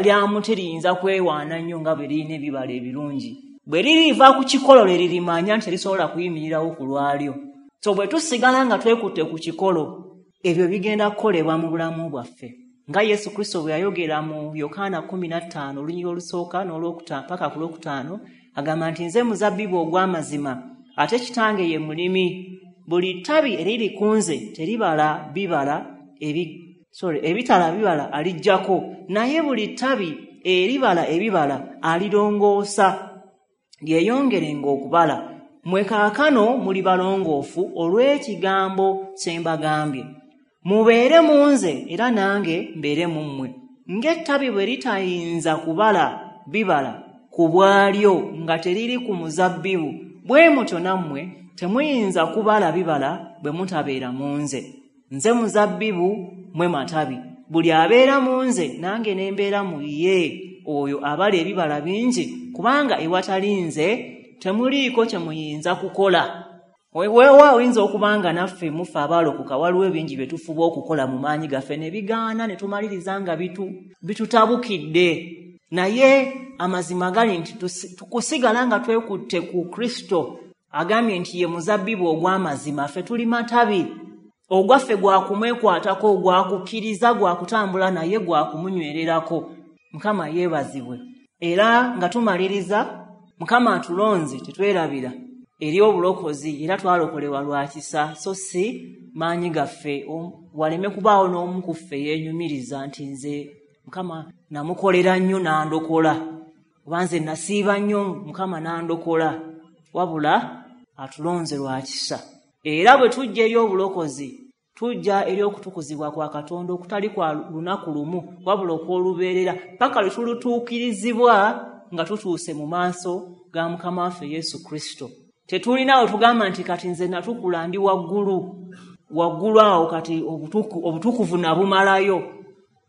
lya muti liyinza kwewaana nnyo nga bwe lirina ebibala ebirungi. Bwe liriva ku kikolo lwe lirimanya nti terisobola kuyimirirawo ku lwalyo. So bwe tusigala nga twekutte ku kikolo, ebyo bigenda kukolebwa mu bulamu bwaffe. Nga Yesu Kristo bwe yayogera mu Yokaana kkumi na ttaano olunyiriri olusooka n'olwokutaano paka ku lwokutaano, agamba nti nze muzabbibu ogw'amazima, ate kitange ye mulimi. Buli ttabi eriri ku nze teribala bibala ebi sorry ebitala bibala alijjako, naye buli ttabi eribala ebibala alirongoosa lyeyongerenga okubala. Mmwe kaakano muli balongoofu olw'ekigambo kye mbagambye. Mubeere mu nze era nange mbeere mu mmwe. Ng'ettabi bwe litayinza kubala bibala ku bwalyo nga teriri ku muzabbibu, bwe mutyo nammwe temuyinza kubala bibala bwe mutabeera mu nze. Nze muzabbibu, mmwe matabi. Buli abeera mu nze nange ne mbeera mu ye, oyo abala ebibala bingi, kubanga ewatali nze temuliiko kye muyinza kukola. Weewaawo oyinza okuba nga naffe mufe abaalokoka waliwo ebingi bye tufuba okukola mu maanyi gaffe ne bigaana ne tumaliriza nga bitu bitutabukidde. Naye amazima gali nti tukusigala nga twekutte ku Kristo, agambye nti ye muzabbibu ogw'amazima, ffe tuli matabi. Ogwaffe gwakumwekwatako, gwakukkiriza, gwakutambula naye, gwakumunywererako. Mukama yeebazibwe. Era nga tumaliriza, Mukama atulonze tetwerabira eri obulokozi, era twalokolebwa lwa kisa so si maanyi gaffe. Waleme kubaawo n'omu ku ffe yeenyumiriza nti nze Mukama namukolera nnyo n'andokola, oba nze nasiiba nnyo Mukama n'andokola. Wabula atulonze lwa kisa. Era bwe tujja eri obulokozi, tujja eri okutukuzibwa kwa Katonda okutali kwa lunaku lumu, wabula okw'olubeerera, paka lwe tulutuukirizibwa nga tutuuse mu maaso ga Mukama waffe Yesu Kristo. Tetulina we tugamba nti kati nze natukula ndi waggulu waggulu awo, kati obutukuvu nabumalayo,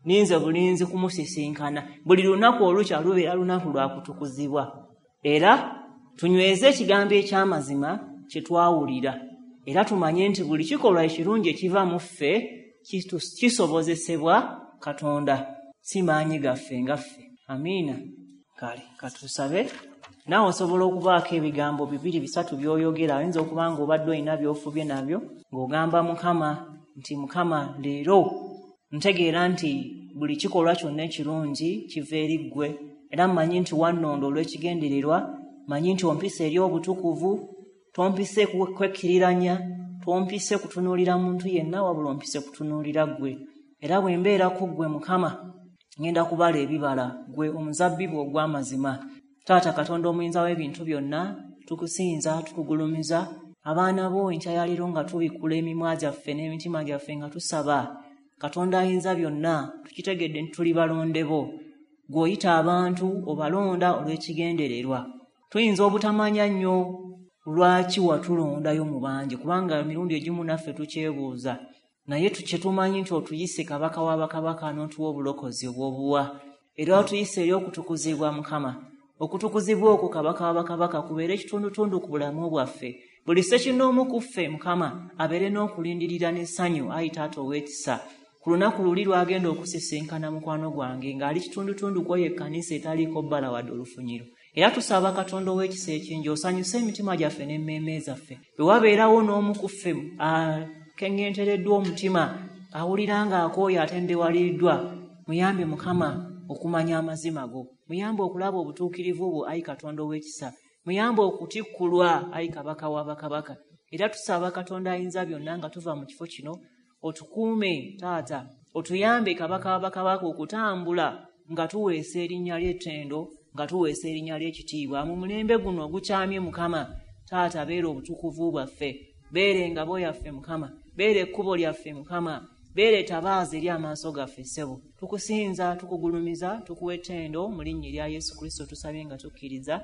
ninze bulinzi kumusisinkana. Buli lunaku olukya lubeera lunaku lwa kutukuzibwa. Era tunyweze ekigambo eky'amazima kye twawulira, era tumanye nti buli kikolwa ekirungi ekiva mu ffe kisobozesebwa Katonda, si maanyi gaffe nga ffe. Amiina. Kale katusabe. Naawe osobola okubaako ebigambo bibiri bisatu by'oyogera. Oyinza okuba nga obadde olina by'ofubye nabyo, ng'ogamba Mukama nti Mukama leero ntegeera nti buli kikolwa kyonna ekirungi kiva eri ggwe, era mmanyi nti wannonda olw'ekigendererwa, mmanyi nti ompisa eri obutukuvu, tompise kwekkiriranya, tompise kutunuulira muntu yenna, wabula ompise kutunuulira ggwe. Era bwe mbeerako ggwe Mukama, ngenda kubala ebibala, ggwe omuzabbibu ogw'amazima. Taata Katonda omuyinza w'ebintu byonna, tukusinza, tukugulumiza. Abaana bo enkya ya leero nga tubikkula emimwa gyaffe n'emitima gyaffe nga tusaba Katonda ayinza byonna, tukitegedde nti tuli balonde bo. Ggwe oyita abantu obalonda olw'ekigendererwa. Tuyinza obutamanya nnyo lwaki watulondayo mu bangi, kubanga emirundi egimu naffe tukyebuuza, naye kyetumanyi nti otuyise kabaka w'abakabaka n'otuwa obulokozi obw'obuwa, era otuyise eri okutukuzibwa. Mukama, okutukuzibwa okwo kabaka w'abakabaka kubeere ekitundutundu ku bulamu bwaffe. Buli ssekinnoomu ku ffe Mukama abeere n'okulindirira n'essanyu, ayi Taata ow'ekisa, Ku lunaku luli lwagenda okusisinkana mukwano gwange ng'ali kitundutundu kwoyo ekkanisa etaliiko bbala wadde olufunyiro. Era tusaba Katonda ow'ekisa ekingi osanyuse emitima gyaffe n'emmeeme zaffe. Bwe wabeerawo n'omu ku ffe akeŋŋentereddwa omutima, awulira ng'akooye atendewaliddwa, muyambe Mukama okumanya amazima go, muyambe okulaba obutuukirivu bwo ayi Katonda ow'ekisa, muyambe okutikkulwa ayi Kabaka w'abakabaka. Era tusaba Katonda ayinza byonna nga tuva mu kifo kino otukuume taata, otuyambe Kabaka w'abakabaka okutambula nga tuweesa erinnya ly'ettendo, nga tuweesa erinnya ly'ekitiibwa mu mulembe guno ogukyamye. Mukama taata, beera obutukuvu bwaffe, beera engabo yaffe Mukama, beera ekkubo lyaffe Mukama, beera etabaaza eri amaaso gaffe. Ssebo, tukusinza, tukugulumiza, tukuwa ettendo mu linnya erya Yesu Kristo tusabye nga tukkiriza,